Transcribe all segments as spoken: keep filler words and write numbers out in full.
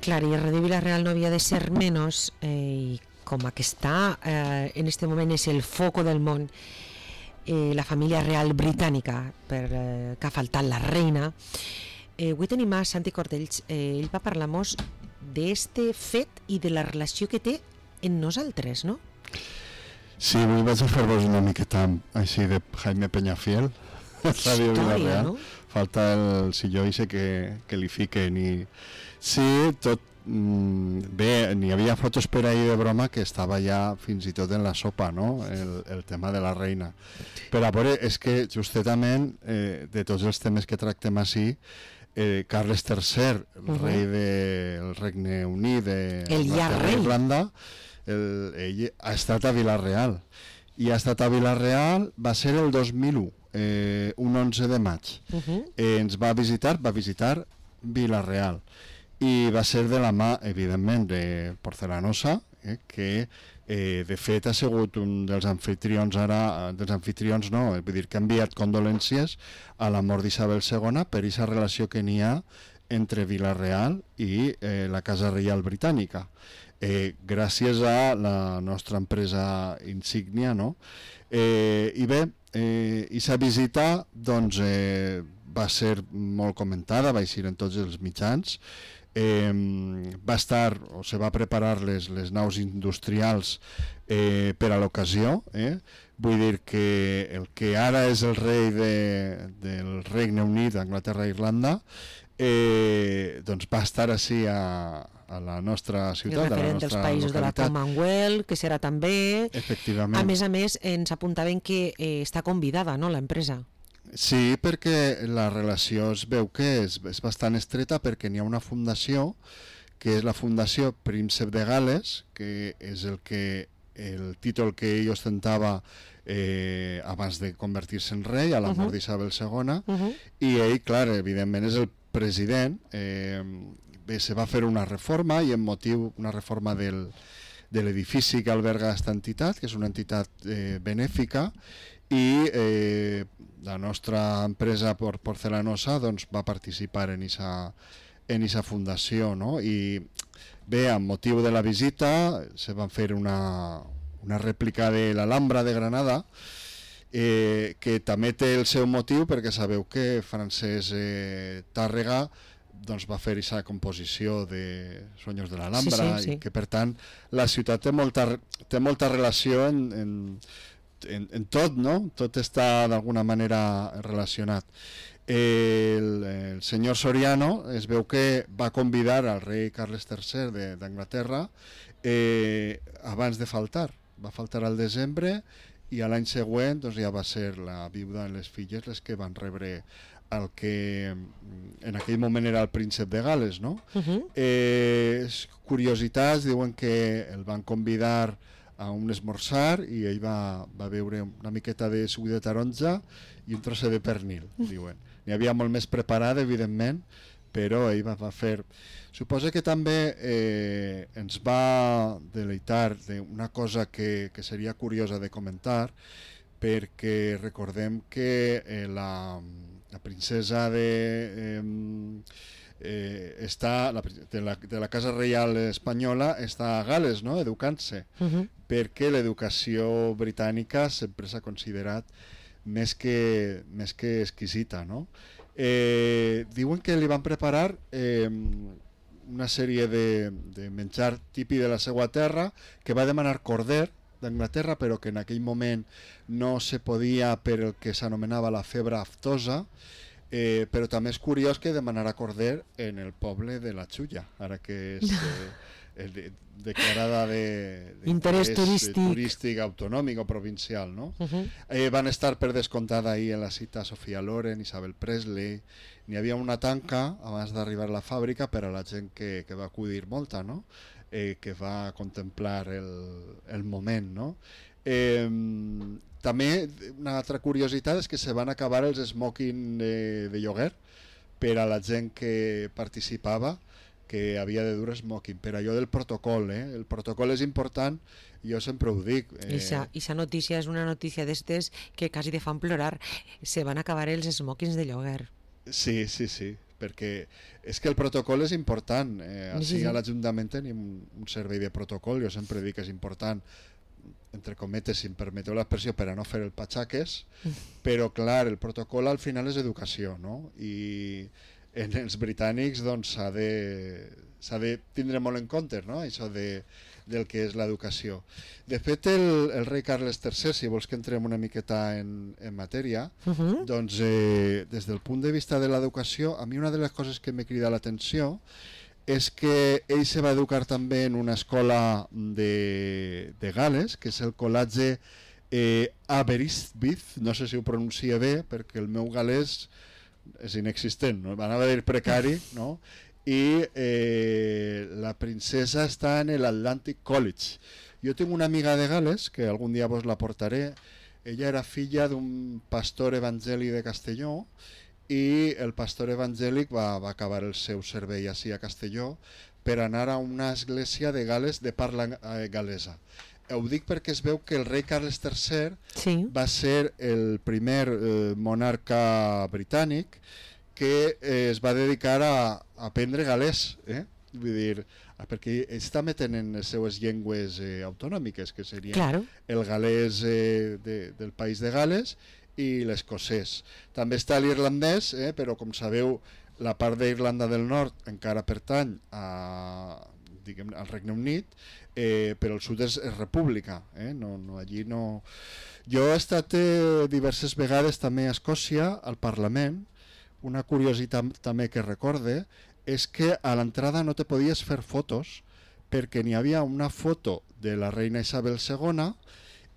Clar, i el rei de Vila-real no havia de ser menys, eh, i com a que està eh, en este moment és el foco del món, eh, la família real britànica, per eh, que ha faltat la reina. Eh, avui tenim a Santi Cordells, eh, ell va parlar-nos d'este fet i de la relació que té en nosaltres, no? Sí, avui vaig a fer-vos una miqueta així de Jaime Peñafiel, Ràdio Vila-real. No? Falta el silló ixe que, que li fiquen i... Sí, tot... Mm, bé, n'hi havia fotos per ahir de broma que estava ja fins i tot en la sopa, no? El, el tema de la reina. Però a veure, és que justament eh, de tots els temes que tractem així, eh, Carles tercer, el uh-huh. rei del Regne Unit de el ja rei Irlanda, el, ell ha estat a Vila-real i ha estat a Vila-real, va ser el dos mil u, eh, un onze de maig. Uh-huh. eh, ens va visitar, va visitar Vila-real i va ser de la mà, evidentment, de Porcelanosa, eh, que eh, de fet ha sigut un dels anfitrions ara, dels anfitrions no, vull dir que ha enviat condolències a la mort d'Isabel segona per aquesta relació que n'hi ha entre Vila-real i eh, la Casa Reial Britànica, eh, gràcies a la nostra empresa insígnia, no? Eh, I bé, eh, aquesta visita doncs, eh, va ser molt comentada, va eixir en tots els mitjans. Eh, va estar o se va preparar les, les naus industrials eh, per a l'ocasió, eh? Vull dir que el que ara és el rei de, del Regne Unit, Anglaterra i Irlanda, eh, doncs va estar així a, a la nostra ciutat, a la nostra dels països localitat. De la Commonwealth, que serà també. Efectivament. A més a més, ens apuntaven que eh, està convidada, no?, l'empresa. Sí, perquè la relació es veu que és, és bastant estreta, perquè n'hi ha una fundació que és la Fundació Príncep de Gales, que és el que el títol que ell ostentava eh, abans de convertir-se en rei a la mort uh-huh. d'Isabel segona, uh-huh. i ell, clar, evidentment és el president. Eh, bé, se va fer una reforma i en motiu una reforma del, de l'edifici que alberga aquesta entitat, que és una entitat eh, benèfica, i eh, la nostra empresa por Porcelanosa doncs, va participar en esa, en esa fundació, no? I bé, amb motiu de la visita se van fer una, una rèplica de l'Alhambra de Granada, eh, que també té el seu motiu, perquè sabeu que Francesc eh, Tàrrega doncs, va fer aquesta composició de Sueños de l'Alhambra, sí, sí, sí. I que per tant la ciutat té molta, té molta relació en, en En, en tot, no? Tot està d'alguna manera relacionat. El, el senyor Soriano es veu que va convidar al rei Carles tercer d'Anglaterra eh, abans de faltar. Va faltar al desembre i a l'any següent doncs, ja va ser la viuda i les filles les que van rebre el que en aquell moment era el príncep de Gales, no? Uh-huh. eh, curiositats, diuen que el van convidar a un esmorzar i ell va, va beure una miqueta de suc de taronja i un trosset de pernil, diuen. N'hi havia molt més preparat, evidentment, però ell va, va fer... Suposo que també eh, ens va deleitar d'una cosa que, que seria curiosa de comentar, perquè recordem que eh, la, la princesa de... Eh, Eh, està la, de, la, de la Casa Reial Espanyola està a Gales, no?, educant-se, uh-huh. perquè l'educació britànica sempre s'ha considerat més que, més que exquisita, no? Eh, diuen que li van preparar eh, una sèrie de, de menjar típic de la seva terra, que va demanar corder d'Anglaterra, però que en aquell moment no se podia per el que s'anomenava la febre aftosa. Eh, però també és curiós que demanarà corder en el poble de la Xulla, ara que és eh, de, declarada de, de interès turístic. turístic autonòmic o provincial, no? Uh-huh. Eh, van estar per descomptat ahir en la cita Sofia Loren, Isabel Presley. N'hi havia una tanca abans d'arribar a la fàbrica per a la gent que, que va acudir molta, no? Eh, que va contemplar el, el moment, no? Eh, també una altra curiositat és que se van acabar els smoking de, de lloguer per a la gent que participava, que havia de dur smoking, per allò del protocol, eh? El protocol és important, jo sempre ho dic. Eh... Ixa notícia és una notícia d'estes que quasi te fan plorar, se van acabar els smokings de lloguer. Sí, sí, sí, perquè és que el protocol és important. Eh, Sí, així sí. a l'Ajuntament tenim un, un servei de protocol, jo sempre dic que és important, entre cometes, si em permeteu l'expressió, per a no fer el patxaques, però clar, el protocol al final és educació, no? I en els britànics doncs s'ha de, s'ha de tindre molt en compte, no? Això de, del que és l'educació. De fet, el, el rei Carles tercer, si vols que entrem una miqueta en, en matèria, Uh -huh. doncs eh, des del punt de vista de l'educació, a mi una de les coses que me crida l'atenció és que ell se va educar també en una escola de, de Gales, que és el Col·legi eh, Aberystwyth, no sé si ho pronuncia bé, perquè el meu galès és inexistent, no? Anava a dir precari, no? I eh, la princesa està en l'Atlantic College. Jo tinc una amiga de Gales, que algun dia vos la portaré. Ella era filla d'un pastor evangèlic de Castelló, i el pastor evangèlic va, va acabar el seu servei així a Castelló per anar a una església de Gales de parla eh, galesa. Ho dic perquè es veu que el rei Carles tercer Sí. va ser el primer eh, monarca britànic que eh, es va dedicar a, a aprendre galès, eh? Vull dir, perquè ells també tenen les seues llengües eh, autonòmiques, que serien Claro. el galès eh, de, del país de Gales i l'escocès. També està l'irlandès, eh, però com sabeu la part d'Irlanda del Nord encara pertany a, diguem, al Regne Unit, eh, però el sud és, és república, eh? no, no, allí no... Jo he estat eh, diverses vegades també a Escòcia, al Parlament. Una curiositat també que recorde és que a l'entrada no te podies fer fotos perquè n'hi havia una foto de la reina Isabel segona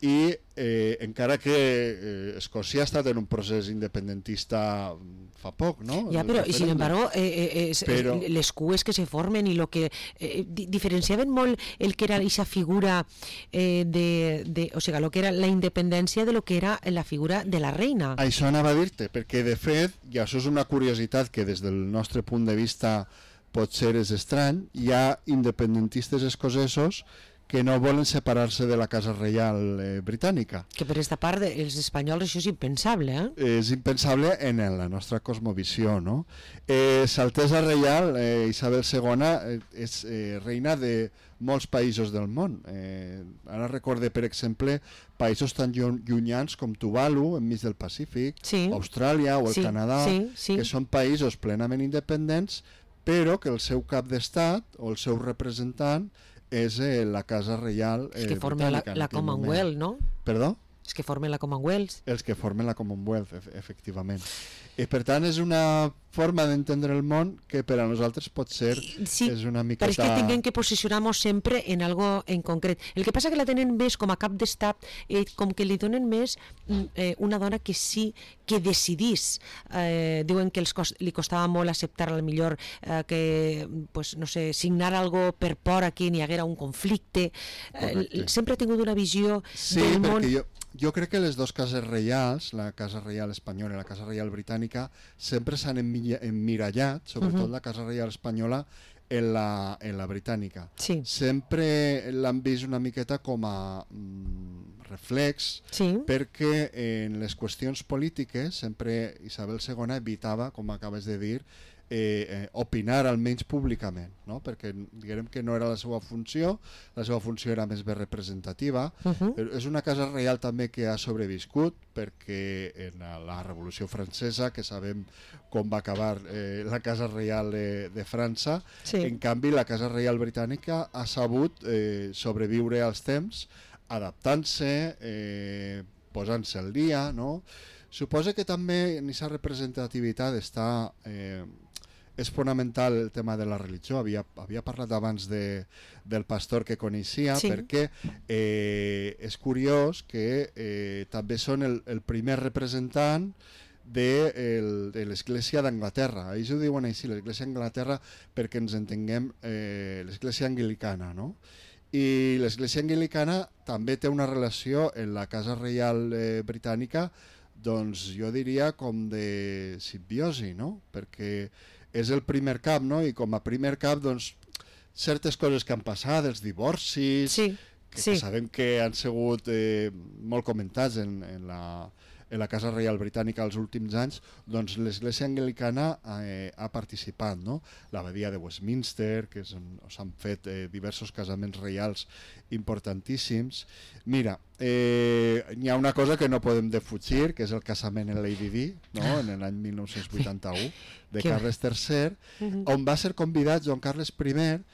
i eh, encara que eh, Escòcia ha estat en un procés independentista fa poc, ¿no? Ya, pero y sin embargo, eh, eh, es, Pero- es, les cues que se formen y lo que eh, di- diferenciaven molt el que era esa figura eh, de, de, o sea, lo que era la independencia de lo que era la figura de la reina. Això anava a dir-te, perquè de fet, i això és una curiositat que des del nostre punt de vista potser és estrany, hi ha independentistes escocesos que no volen separar-se de la Casa Reial eh, britànica. Que per esta part dels espanyols això és impensable, eh? És impensable en la nostra cosmovisió, no? Eh, S'Altesa Reial, eh, Isabel segona, eh, és eh, reina de molts països del món. Eh, ara recorde, per exemple, països tan llu- llunyans com Tuvalu, enmig del Pacífic, Sí. Austràlia o el Sí, Canadà, sí, sí. que són països plenament independents, però que el seu cap d'estat o el seu representant és eh, la Casa Reial eh, És que formen la, britànica en la aquell moment. Commonwealth, no? Perdó? És que formen la Commonwealth. Els que formen la Commonwealth, ef efectivament. I per tant és una forma d'entendre el món que per a nosaltres pot ser Sí, és una però miqueta... és que tinguem que posicionar-nos sempre en algo en concret. El que passa que la tenen més com a cap d'estat, eh, com que li donen més mm, eh, una dona que sí que decidís. Eh, diuen que els cos li costava molt acceptar al millor eh, que, pues, no sé, signar algo per por a que n'hi haguera un conflicte. Eh, Correcte. sempre ha tingut una visió Sí, del perquè món... jo, jo crec que les dues cases reials, la Casa Reial espanyola i la Casa Reial britànica, sempre s'han emmilla- emmirallat, sobretot Mhm. la Casa Reial espanyola, en la, en la britànica. Sí, Sempre l'han vist una miqueta com a mm, reflex, sí, perquè en les qüestions polítiques sempre Isabel segona evitava, com acabes de dir, eh, eh, opinar almenys públicament, no? Perquè diguem que no era la seva funció, la seva funció era més bé representativa. uh -huh. Però és una casa reial també que ha sobreviscut perquè en la, la Revolució Francesa, que sabem com va acabar eh, la Casa Reial de, de França, Sí. en canvi la Casa Reial Britànica ha sabut eh, sobreviure als temps adaptant-se, eh, posant-se al dia, no? Suposa que també en aquesta representativitat està... Eh, és fonamental el tema de la religió. Havia, havia parlat abans de, del pastor que coneixia, Sí. perquè eh, és curiós que eh, també són el, el primer representant de, el, de l'Església d'Anglaterra. Ells ho diuen així, l'Església d'Anglaterra, perquè ens entenguem eh, l'Església anglicana, no? I l'Església anglicana també té una relació en la Casa Reial eh, britànica, doncs jo diria com de simbiosi, no? Perquè és el primer cap, no? I com a primer cap, doncs, certes coses que han passat, els divorcis, Sí, que, sí. que sabem que han sigut eh, molt comentats en, en, la, en la Casa Reial Britànica els últims anys, doncs l'Església Anglicana eh, ha participat, no? L'abadia de Westminster, que s'han fet eh, diversos casaments reials importantíssims. Mira, eh, hi ha una cosa que no podem defugir, que és el casament en Lady Di, no? En l'any mil nou-cents vuitanta-u, de Carles tercer, on va ser convidat Joan Carles primer,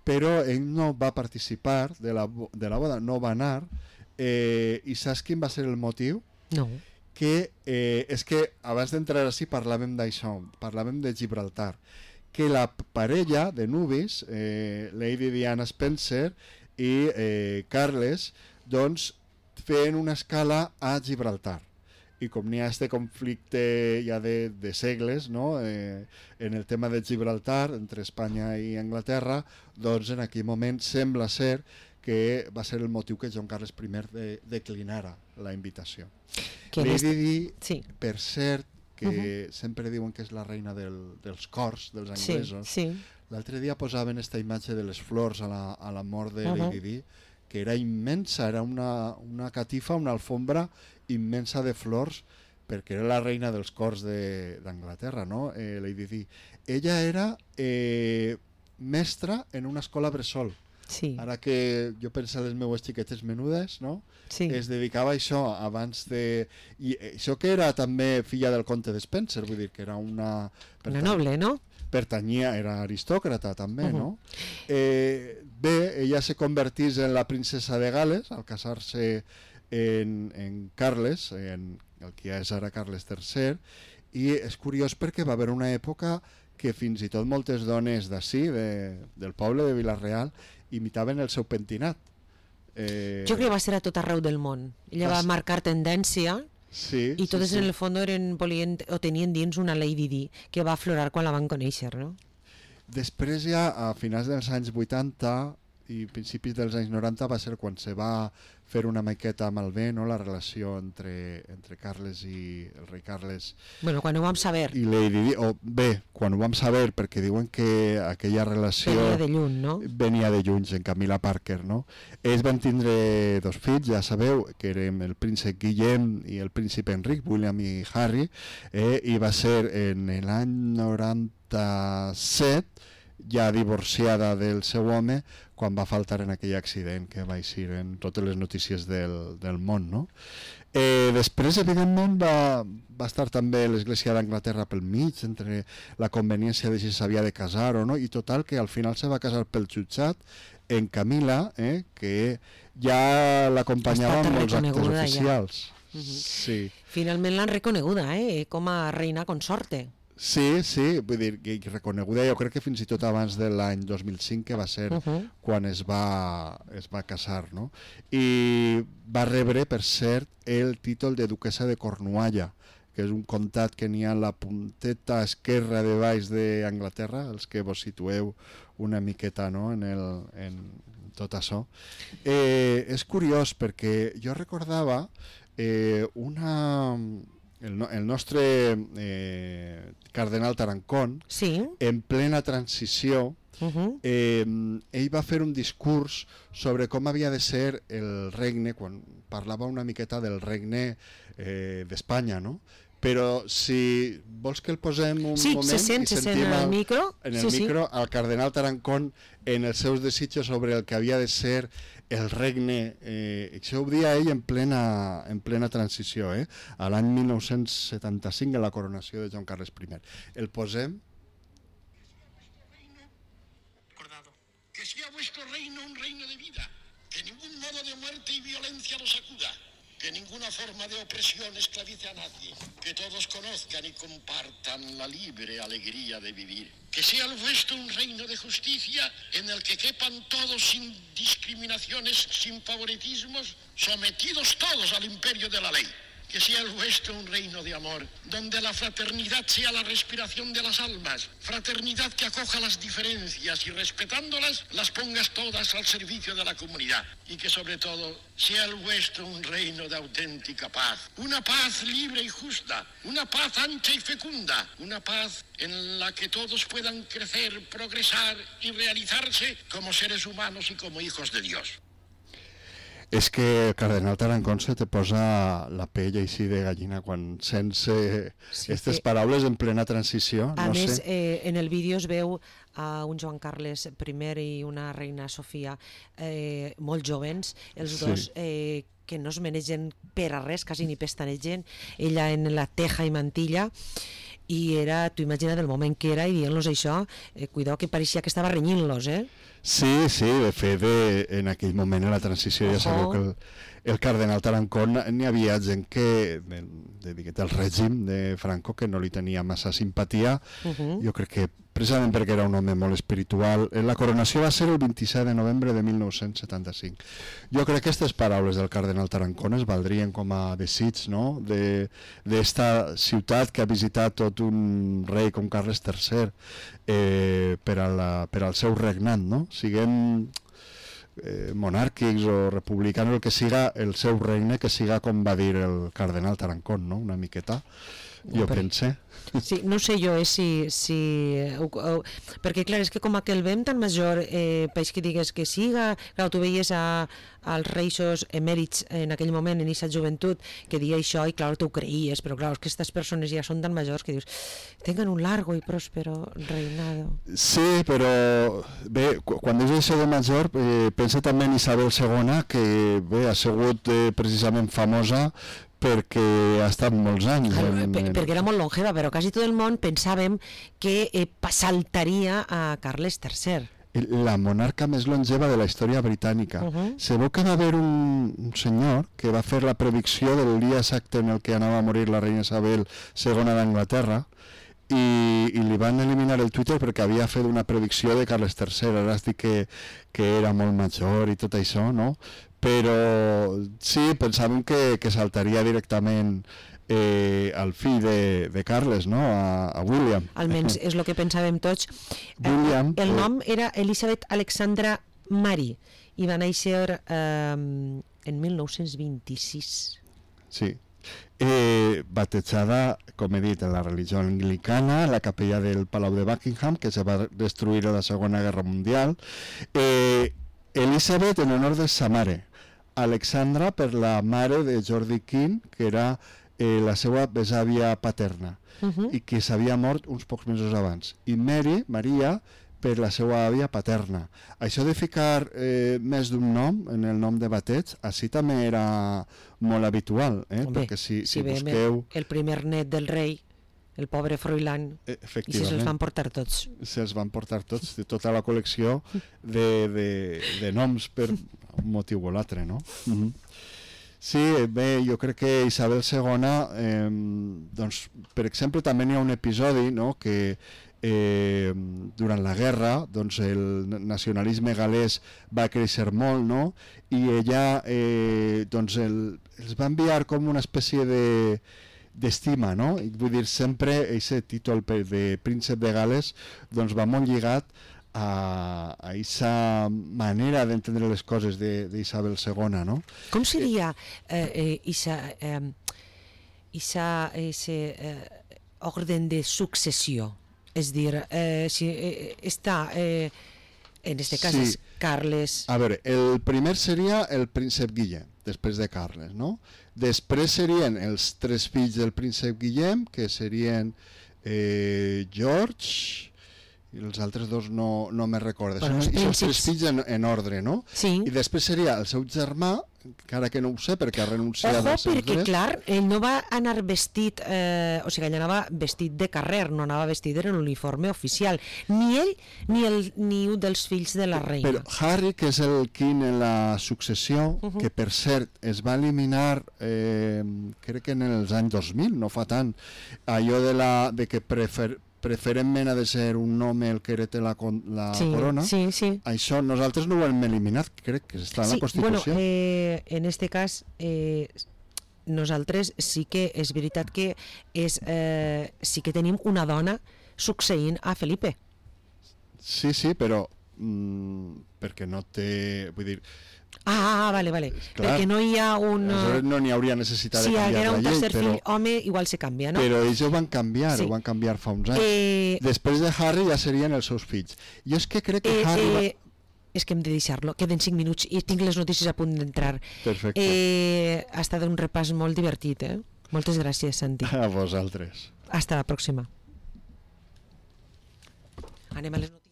però ell no va participar de la, de la boda, no va anar, eh, i saps quin va ser el motiu? No. Que eh, és que abans d'entrar així parlàvem d'això, parlàvem de Gibraltar, que la parella de nuvis, eh, Lady Diana Spencer i eh, Carles, doncs feien una escala a Gibraltar. I com n'hi ha este conflicte ja de, de segles, no? eh, en el tema de Gibraltar, entre Espanya i Anglaterra, doncs en aquell moment sembla ser que va ser el motiu que Joan Carles primer de, declinara la invitació. Que Lady Di, sí. Per cert, que uh-huh. sempre diuen que és la reina del, dels cors, dels anglesos, sí, sí. L'altre dia posaven aquesta imatge de les flors a la, a la mort de uh-huh. Lady Di, que era immensa, era una, una catifa, una alfombra immensa de flors, perquè era la reina dels cors d'Anglaterra, no? Eh, Lady Di. Ella era eh, mestra en una escola bressol. Sí. Ara que jo penso en les meues xiquetes menudes, no? Sí. Es dedicava a això abans de... I això que era també filla del comte de Spencer, vull dir que era una... Una noble, no? Pertanyia, era aristòcrata també, uh-huh. no? Eh, bé, ella se convertís en la princesa de Gales al casar-se en, en Carles, en el que ja és ara Carles tercer, i és curiós perquè va haver una època que fins i tot moltes dones d'ací, de, del poble de Vila-real, imitaven el seu pentinat. Eh... Jo crec que va ser a tot arreu del món. Ella va marcar tendència sí, i totes sí, sí. en el fons eren, volien, o tenien dins una Lady Di que va aflorar quan la van conèixer, no? Després ja, a finals dels anys vuitanta i principis dels anys noranta, va ser quan se va fer una miqueta malbé, no? La relació entre, entre Carles i el rei Carles. Bueno, quan ho vam saber. I Lady Di, o bé, quan ho vam saber, perquè diuen que aquella relació... Venia de lluny, no? Venia de lluny, en Camila Parker, no? Ells van tindre dos fills, ja sabeu, que eren el príncep Guillem i el príncep Enric, William i Harry, eh, i va ser en l'any noranta-set, ja divorciada del seu home, quan va faltar en aquell accident que va eixir en totes les notícies del, del món, no? Eh, després, evidentment, va, va estar també l'Església d'Anglaterra pel mig, entre la conveniència de si s'havia de casar o no, i total, que al final se va casar pel jutjat en Camila, eh, que ja l'acompanyava en molts actes oficials. Ja. Uh-huh. Sí. Finalment l'han reconeguda, eh, com a reina consorte. Sí, sí, vull dir, que reconeguda, jo crec que fins i tot abans de l'any dos mil cinc, que va ser uh-huh. quan es va, es va casar, no? I va rebre, per cert, el títol de duquesa de Cornualla, que és un comtat que n'hi ha a la punteta esquerra de baix d'Anglaterra, els que vos situeu una miqueta, no?, en, el, en tot això. Eh, és curiós perquè jo recordava eh, una... El, no, el nostre eh, cardenal Tarancón, sí. en plena transició, uh-huh. eh, ell va fer un discurs sobre com havia de ser el regne, quan parlava una miqueta del regne eh, d'Espanya, no? Però si vols que el posem un sí, moment se sent, i se sentim sent el micro, en el sí, micro sí. al cardenal Tarancón en els seus desitjos sobre el que havia de ser el regne, eh, això ho dia ell en plena, en plena transició, eh? A l'any mil nou-cents setanta-cinc, en la coronació de Joan Carles primer. El posem. Que sea vuestro reino un reino de vida, que ningún modo de muerte y violencia lo sacuda, que ninguna forma de opresión esclavice a nadie, que todos conozcan y compartan la libre alegría de vivir. Que sea el vuestro un reino de justicia en el que quepan todos sin discriminaciones, sin favoritismos, sometidos todos al imperio de la ley. Que sea el vuestro un reino de amor, donde la fraternidad sea la respiración de las almas, fraternidad que acoja las diferencias y respetándolas, las pongas todas al servicio de la comunidad. Y que sobre todo sea el vuestro un reino de auténtica paz, una paz libre y justa, una paz ancha y fecunda, una paz en la que todos puedan crecer, progresar y realizarse como seres humanos y como hijos de Dios. És que el cardenal Tarancón se te posa la pell així de gallina quan sents aquestes sí, paraules en plena transició. A no més, sé. eh, en el vídeo es veu a un Joan Carles primer i una reina Sofia eh, molt jovens, els Sí. dos eh, que no es manegen per a res, quasi ni pestanegen, ella en la teja i mantilla, i era, tu imagina't el moment que era i dient-los això, eh, cuidao que pareixia que estava renyint-los, eh? Sí, sí, de fet, de, en aquell moment, en la transició, ja sabeu que el, el cardenal Tarancón n'hi havia gent que, de, de, de, del règim de Franco, que no li tenia massa simpatia. Uh -huh. Jo crec que precisament perquè era un home molt espiritual. La coronació va ser el vint-i-set de novembre de mil nou-cents setanta-cinc. Jo crec que aquestes paraules del cardenal Tarancón es valdrien com a desig, no?, d'esta ciutat que ha visitat tot un rei com Carles tercer eh, per, a la, per al seu regnat, no? Siguem eh, monàrquics o republicans, el que siga el seu regne, que siga com va dir el cardenal Tarancón, no?, una miqueta. Jo Però... pensé. Sí, no sé jo eh, si... si uh, uh, perquè clar, és que com que el vem tan major, eh, peix que digues que siga, clar, tu veies a, als reixos emèrits en aquell moment, en aquesta joventut, que dia això i clar, tu ho creies, però clar, és que aquestes persones ja són tan majors que dius, tengan un largo i próspero reinado. Sí, però bé, quan dius això de major, eh, pensa també en Isabel segona, que bé, ha sigut eh, precisament famosa perquè ha estat molts anys. Claro, en, per, en... perquè era molt longeva, però quasi tot el món pensàvem que eh, saltaria a Carles tercer. La monarca més longeva de la història britànica. Uh -huh. Se veu que va haver un, un senyor que va fer la predicció del dia exacte en el que anava a morir la reina Isabel segona d'Anglaterra, i, i li van eliminar el Twitter perquè havia fet una predicció de Carles tercer. Ara es diu que, que era molt major i tot això, no? Però sí, pensàvem que, que saltaria directament eh, al fill de, de Carles, no? A, a William. Almenys és el que pensàvem tots. William, el eh... nom era Elisabeth Alexandra Mary i va néixer eh, en mil nou-cents vint-i-sis. Sí. Eh, batejada, com he dit, en la religió anglicana, en la capella del Palau de Buckingham, que se va destruir a la Segona Guerra Mundial. Eh, Elisabeth en honor de sa mare, Alexandra per la mare de Jordi King, que era eh, la seva besàvia paterna, Uh -huh. i que s'havia mort uns pocs mesos abans, i Mary, Maria, per la seva àvia paterna. Això de ficar eh, més d'un nom en el nom de bateig, així també era molt habitual, eh? Home, perquè si, si, si busqueu... el primer net del rei, el pobre Froilán, eh, i si se'ls van portar tots. Se'ls van portar tots, de tota la col·lecció de, de, de noms per un motiu o l'altre, no? Uh -huh. Sí, bé, jo crec que Isabel segona, eh, doncs, per exemple, també hi ha un episodi, no?, que eh, durant la guerra, doncs, el nacionalisme gal·lès va créixer molt, no?, i ella eh, doncs, el, els va enviar com una espècie de d'estima, no? I vull dir, sempre aquest títol de príncep de Gales doncs va molt lligat a aquesta manera d'entendre les coses d'Isabel segona, no? Com seria eh, eh, isa, eh, isa, ese eh, orden de successió? És dir, eh, si eh, està, eh, en este cas sí. és Carles... A veure, el primer seria el príncep Guillem, després de Carles, no? Després serien els tres fills del príncep Guillem, que serien eh, George... i els altres dos no, no me recordo. Bueno, Són els tres príncips. fills en, en ordre, no? Sí. I després seria el seu germà, encara que no ho sé perquè ha renunciat Ojo, als seus perquè drets. clar, ell no va anar vestit, eh, o sigui, ell anava vestit de carrer, no anava vestit en l'uniforme oficial, ni ell ni, el, ni un dels fills de la reina. Però Harry, que és el quin en la successió, uh -huh. que per cert es va eliminar, eh, crec que en els anys dos mil, no fa tant, allò de, la, de que prefer, preferentment ha de ser un home el que herete la, la sí, corona, sí, sí. Això nosaltres no ho hem eliminat, crec que està en sí, la Constitució. Bueno, eh, en este cas, eh, nosaltres sí que és veritat que és, eh, sí que tenim una dona succeint a Felipe. Sí, sí, però mm, perquè no té... Vull dir... Ah, vale, vale. Clar, perquè no hi ha un... Aleshores no n'hi hauria necessitat si de canviar haguera la un llei, tercer però... fill home, igual se canvia, no? Però ells ho van canviar, Sí. ho van canviar fa uns anys. Eh, Després de Harry ja serien els seus fills. Jo és que crec que eh, Harry... Va... eh, és que hem de deixar-lo. Queden cinc minuts i tinc les notícies a punt d'entrar. Perfecte. Eh, ha estat un repàs molt divertit, eh? Moltes gràcies, Santi. A vosaltres. Hasta la pròxima. Anem a les notícies.